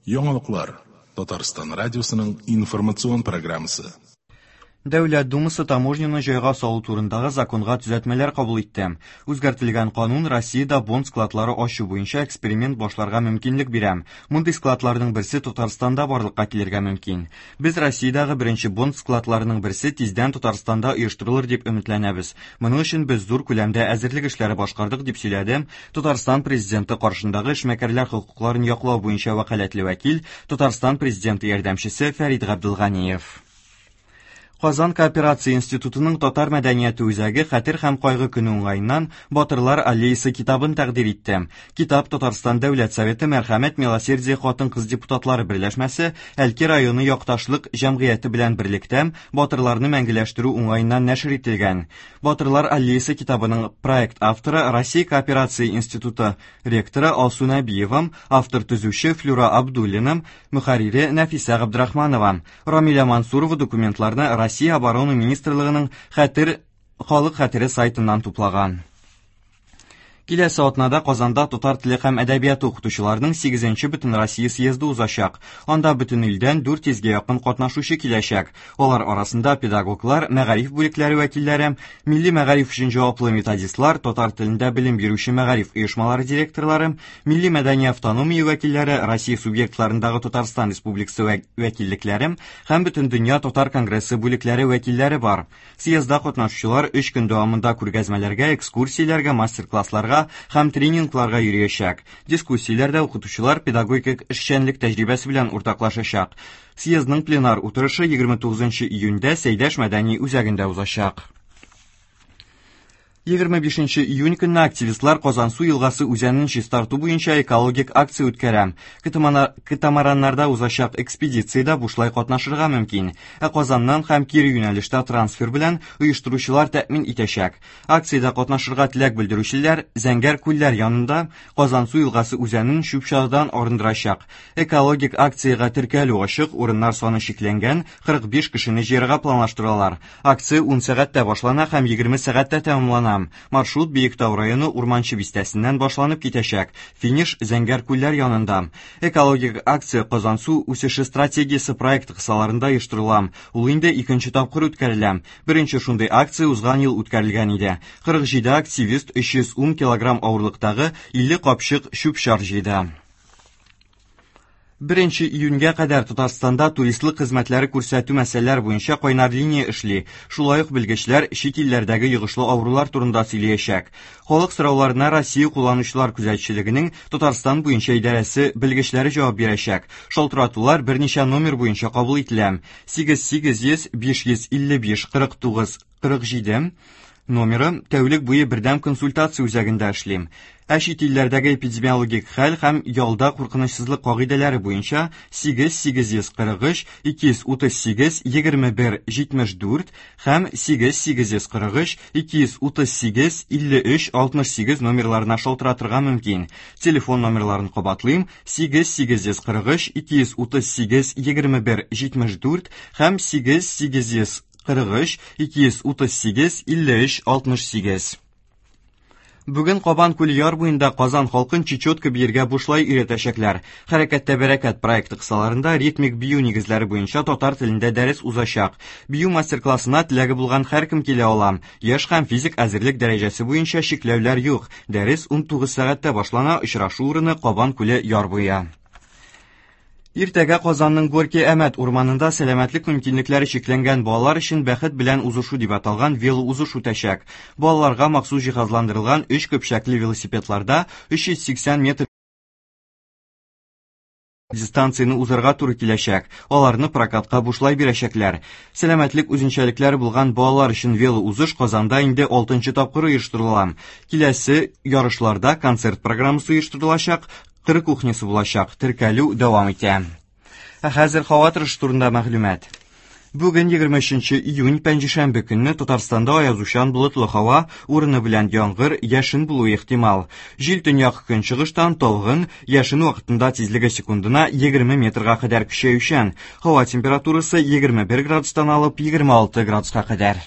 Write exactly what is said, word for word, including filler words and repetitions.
Яңалыклар. Татарстан радиосының информацион программасы. Дәүләт Думасы таможняны җайга салу турындагы законга төзәтмәләр кабул итте. Үзгәртелгән канун Россиядә бонд складлары ачу буенча эксперимент башларга мөмкинлек бирә. Мондый складларның берсе Татарстанда барлыкка килергә мөмкин. Без Россиядәге беренче бонд складларының берсе тиздән Татарстанда оештырылыр дип өметләнәбез. Моның өчен без зур күләмдә әзерлек эшләре башкардык, дип сөйләде Татарстан президенты каршындагы эшмәкәрләр хокукларын яклау буенча вәкаләтле вәкил, Татарстан президенты ярдәмчесе Фәрид Габделганиев. Казан кооперация институтының Татар мәдәнияте үзәге Хәтер һәм кайгы көне уңаеннан Батырлар аллеясы китабын тәкъдир итте. Китап Татарстан Дәүләт Советы Мәрхәмәт Милосердие хатын-кыз депутатлары берләшмәсе Әлки районы якташлык җәмгыяте белән берлектә батырларны мәңгеләштерү уңаеннан нәшер ителгән. Батырлар аллеясы китабының проект авторы Россия кооперация институты ректоры Алсу Нәбиева, автор төзүче Флюра Абдуллина, мөхәррире Нәфисә Габдрахманова. Рамилә Мансурова документларны Россия Оборона Министрлыгының Хәтер халык хәтере сайтыннан туплаган. Киләсе атнада Казанда татар теле һәм әдәбияты укытучыларының сигезенче Бөтенроссия съезды узачак. Анда бөтен илдән дүрт йөзгә якын катнашучы киләчәк. Алар арасында педагоглар, мәгариф бүлекләре вәкилләре, милли мәгариф өчен җаваплы методистлар, татар телендә белем бирүче мәгариф оешмалары директорлары, милли мәдәни автономия вәкилләре, Россия субъектларындагы Татарстан Республикасы вәкиллекләре һәм Бөтендөнья татар конгрессы бүлекләре вәкилләре бар. Съездда катнашучылар өч көн дәвамында күргәзмәләргә, экскурсияләргә, мастер-классларга һәм тренингларга йөриячәк. Дискуссияләрдә укытучылар педагогик эшчәнлек тәҗрибәсе белән уртаклашачак. Съездның пленар утырышы егерме тугызынчы июньдә Сәйдәш мәдәни үзәгендә узачак. Егерме бишенче июнь көнне активистлар Казансу елгасы үзәнен чистарту буенча экологик акция үткәрә. Катамараннарда узачак экспедициядә бушлай катнашырга мөмкин. Ә Казаннан һәм кире юнәлештә трансфер белән оештыручылар тәэмин итәчәк. Акциядә катнашырга теләк белдерүчеләр Зәңгәр күлләр янында Казансу елгасы үзәнен чүп-чардан арындырачак. Экологик акциягә теркәлү ачык, урыннар саны чикләнгән, кырык биш кешене җыярга планлаштыралар. Акция ун сәгатьтә башлана һәм егерме сәгатьтә тәмамлана. Маршрут Биектау районы Урманчы бистәсеннән башланып китәчәк. Финиш Зәңгәр күлләр янында. Экологик акция Казансу үсеше стратегиясе проекты кысаларында оештырыла. Ул инде икенче тапкыр үткәрелә. Беренче шундый акция узган ел үткәрелгән иде. Кырык җиде активист өч йөз ун килограмм авырлыктагы илле капчык чүп-чар җыйды. Беренче июньгә кадәр Татарстанда туристлык хезмәтләре күрсәтү мәсьәләләре буенча кайнар линия эшли. Шулай ук белгечләр чит илләрдәге йогышлы авырулар турында сөйләячәк. Халык сорауларына Россия кулланучылар күзәтчелегенең Татарстан буенча идарәсе белгечләре җавап бирәчәк. Шалтыратулар берничә номер буенча кабул ителә. Сигез сигез йөз биш йөз илле биш кырык тугыз кырык җиде номеры тәүлек буе бердәм консультация үзәгендә эшли. Ә чит илләрдәге эпидемиологик хәл һәм ялда куркынычсызлык кагыйдәләре буенча сигез сигез йөз кырык өч ике йөз утыз сигез егерме бер җитмеш дүрт һәм сигез сигез йөз кырык өч ике йөз утыз сигез илле өч алтмыш сигез номерларына шалтыратырга мөмкин. Телефон номерларын кабатлыйм: сигез сигез йөз кырык өч ике йөз утыз сигез егерме бер җитмеш дүрт һәм сигез сигез йөз кырык өч ике йөз утыз сигез илле өч алтмыш сигез. Бүген Кабан күле яр буенда Казан халкын чечетка биергә бушлай өйрәтәчәкләр. Хәрәкәттә бәрәкәт проекты кысаларында ритмик бию нигезләре буенча татар телендә дәрес узачак. Бию мастер-классына теләге булган һәркем килә ала. Яшь һәм физик әзерлек дәрәҗәсе буенча чикләүләр юк. Дәрес ун тугыз сәгатьтә башлана, очрашу урыны Кабан күле яр буе. Иртәгә Казанның Горький Әмәт урманында сәламәтлек мөмкинлекләре чикләнгән балалар өчен бәхет белән узышу дип аталган велоузыш үтәчәк. Балаларга махсус җиһазландырылган өч көпчәкле велосипедларда өч йөз сиксән метр дистанцияне узарга туры киләчәк. Аларны прокатка бушлай бирәчәкләр. Сәламәтлек үзенчәлекләре булган балалар өчен велоузыш Казанда инде алтынчы тапкыр оештырыла. Киләсе ярышларда концерт программасы оештырылачак, кыр кухнясы булачак. Теркәлү дәвам итә. Ә хәзер һава торышы турында мәгълүмат. Бүген егерме өченче июнь пәнҗешәмбе көнне Татарстанда аязучан болытлы һава, урыны белән яңгыр, яшен булуы ихтимал. Җил төньяк көнчыгыштан талгын, яшен вакытында тизлеге секундына егерме метрга кадәр көчәючән. Һава температурасы егерме бер градустан алып егерме алты градуска кадәр.